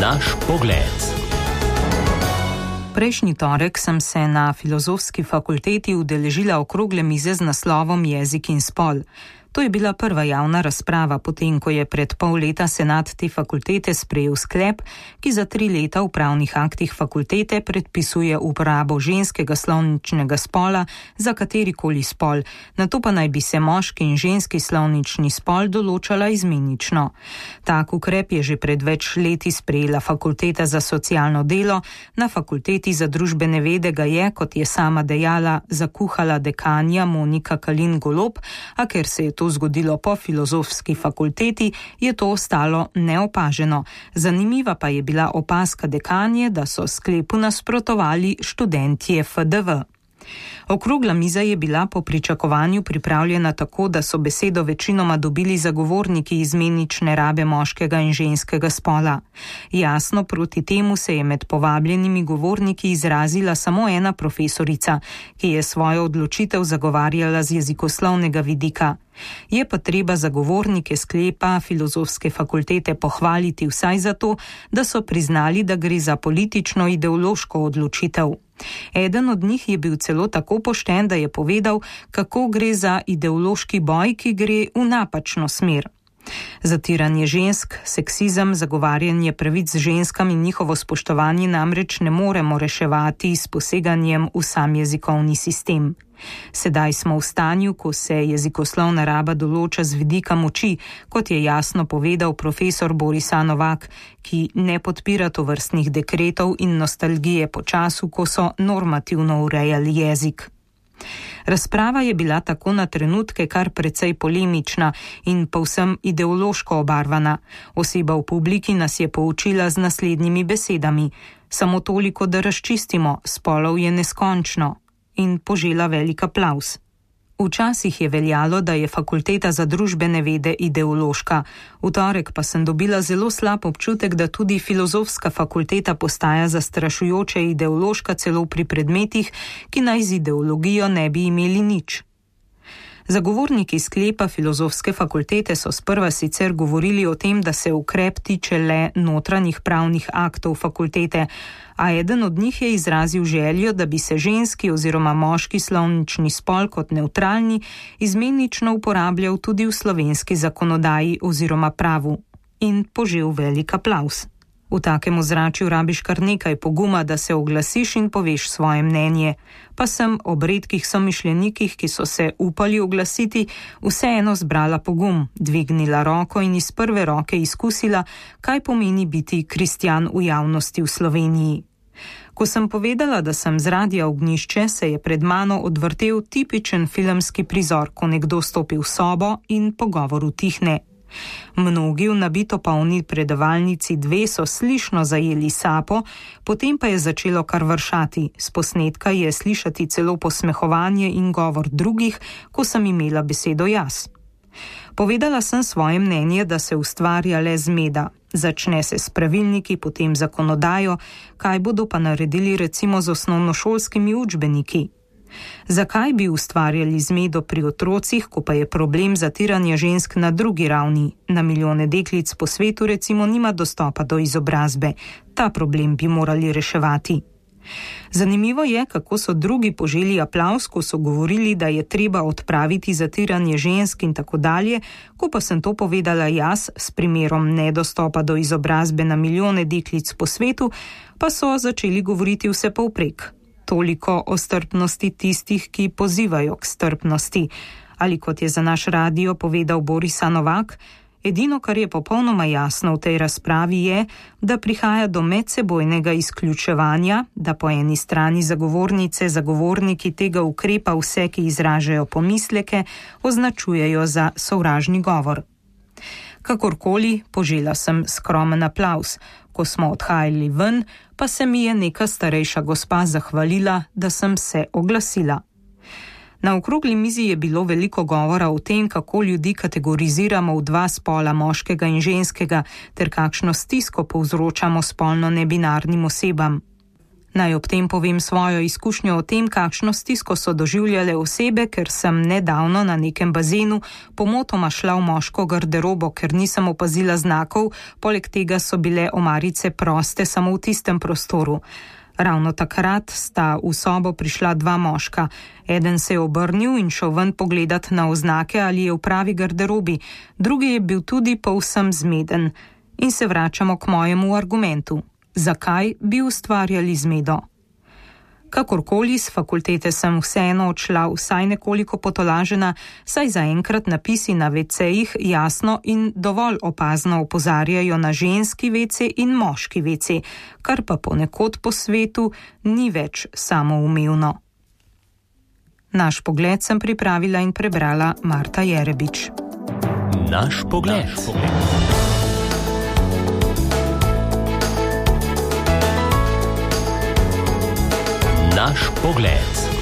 Naš pogled. Prejšnji torek sem se na Filozofski fakulteti udeležila okrogle mize z naslovom Jezik in spol. To je bila prva javna razprava, potem ko je pred pol leta senat te fakultete sprejel sklep, ki za 3 leta v pravnih aktih fakultete predpisuje uporabo ženskega slovničnega spola za katerikoli spol, nato pa naj bi se moški in ženski slovnični spol določala izmenično. Tak ukrep je že pred več leti sprejela fakulteta za socialno delo, na fakulteti za družbene vede ga je, kot je sama dejala, zakuhala dekanja Monika Kalin Golob, a ker se je to zgodilo po Filozofski fakulteti, je to ostalo neopaženo. Zanimiva pa je bila opazka dekanje, da so sklepu nasprotovali študentje FDV. Okrogla miza je bila po pričakovanju pripravljena tako, da so besedo večinoma dobili zagovorniki izmenične rabe moškega in ženskega spola. Jasno proti temu se je med povabljenimi govorniki izrazila samo ena profesorica, ki je svojo odločitev zagovarjala z jezikoslovnega vidika. Je pa treba zagovornike sklepa Filozofske fakultete pohvaliti vsaj zato, da so priznali, da gre za politično-ideološko odločitev. Eden od njih je bil celo tako pošten, da je povedal, kako gre za ideološki boj, ki gre v napačno smer. Zatiranje žensk, seksizem, zagovarjanje pravic ženskam in njihovo spoštovanje namreč ne moremo reševati s poseganjem v sam jezikovni sistem. Sedaj smo v stanju, ko se jezikoslovna raba določa z vidika moči, kot je jasno povedal profesor Boris Novak, ki ne podpira tovrstnih dekretov in nostalgije po času, ko so normativno urejali jezik. Razprava je bila tako na trenutke kar precej polemična in povsem ideološko obarvana. Oseba v publiki nas je poučila z naslednjimi besedami: samo toliko, da razčistimo, spolov je neskončno, in požela velik aplavz. Včasih je veljalo, da je fakulteta za družbene vede ideološka. V torek pa sem dobila zelo slab občutek, da tudi Filozofska fakulteta postaja zastrašujoče ideološka celo pri predmetih, ki naj z ideologijo ne bi imeli nič. Zagovorniki sklepa Filozofske fakultete so sprva sicer govorili o tem, da se ukrep tiče le notranjih pravnih aktov fakultete, a eden od njih je izrazil željo, da bi se ženski oziroma moški slovnični spol kot nevtralni izmenično uporabljal tudi v slovenski zakonodaji oziroma pravu, in požel velik aplavz. V takem ozračju rabiš kar nekaj poguma, da se oglasiš in poveš svoje mnenje, pa sem ob redkih somišljenikih, ki so se upali oglasiti, vseeno zbrala pogum, dvignila roko in iz prve roke izkusila, kaj pomeni biti kristjan v javnosti v Sloveniji. Ko sem povedala, da sem z Radia Ognjišče, se je pred mano odvrtel tipičen filmski prizor, ko nekdo stopi v sobo in pogovor utihne. Mnogi v nabito polni predavalnici 2 so slišno zajeli sapo, potem pa je začelo kar vršati. S posnetka je slišati celo posmehovanje in govor drugih, ko sem imela besedo jaz. Povedala sem svoje mnenje, da se ustvarja le zmeda. Začne se s pravilniki, potem zakonodajo, kaj bodo pa naredili recimo z osnovnošolskimi učbeniki. Zakaj bi ustvarjali zmedo pri otrocih, ko pa je problem zatiranja žensk na drugi ravni? Na milijone deklic po svetu recimo nima dostopa do izobrazbe. Ta problem bi morali reševati. Zanimivo je, kako so drugi poželi aplavz, ko so govorili, da je treba odpraviti zatiranje žensk in tako dalje, ko pa sem to povedala jaz s primerom nedostopa do izobrazbe na milijone deklic po svetu, pa so začeli govoriti vse povprek. Toliko o strpnosti tistih, ki pozivajo k strpnosti. Ali kot je za naš radio povedal Boris Novak, edino, kar je popolnoma jasno v tej razpravi je, da prihaja do medsebojnega izključevanja, da po eni strani zagovorniki tega ukrepa vse, ki izražajo pomisleke, označujejo za sovražni govor. Kakorkoli, požela sem skromen aplavz. Ko smo odhajali ven, pa se mi je neka starejša gospa zahvalila, da sem se oglasila. Na okrogli mizi je bilo veliko govora o tem, kako ljudi kategoriziramo v 2 spola, moškega in ženskega, ter kakšno stisko povzročamo spolno nebinarnim osebam. Naj ob tem povem svojo izkušnjo o tem, kakšno stisko so doživljale osebe, ker sem nedavno na nekem bazenu pomotoma šla v moško garderobo, ker nisem opazila znakov, poleg tega so bile omarice proste samo v tistem prostoru. Ravno takrat sta v sobo prišla dva moška. Eden se je obrnil in šel ven pogledat na oznake, ali je v pravi garderobi, drugi je bil tudi povsem zmeden. In se vračamo k mojemu argumentu. Zakaj bi ustvarjali zmedo? Kakorkoli, s fakultete sem vseeno odšla vsaj nekoliko potolažena, saj zaenkrat napisi na WC-jih jasno in dovolj opazno opozarjajo na ženski WC in moški WC, kar pa ponekod po svetu ni več samoumevno. Naš pogled sem pripravila in prebrala Marta Jerebič. Naš pogled. Naš pogled.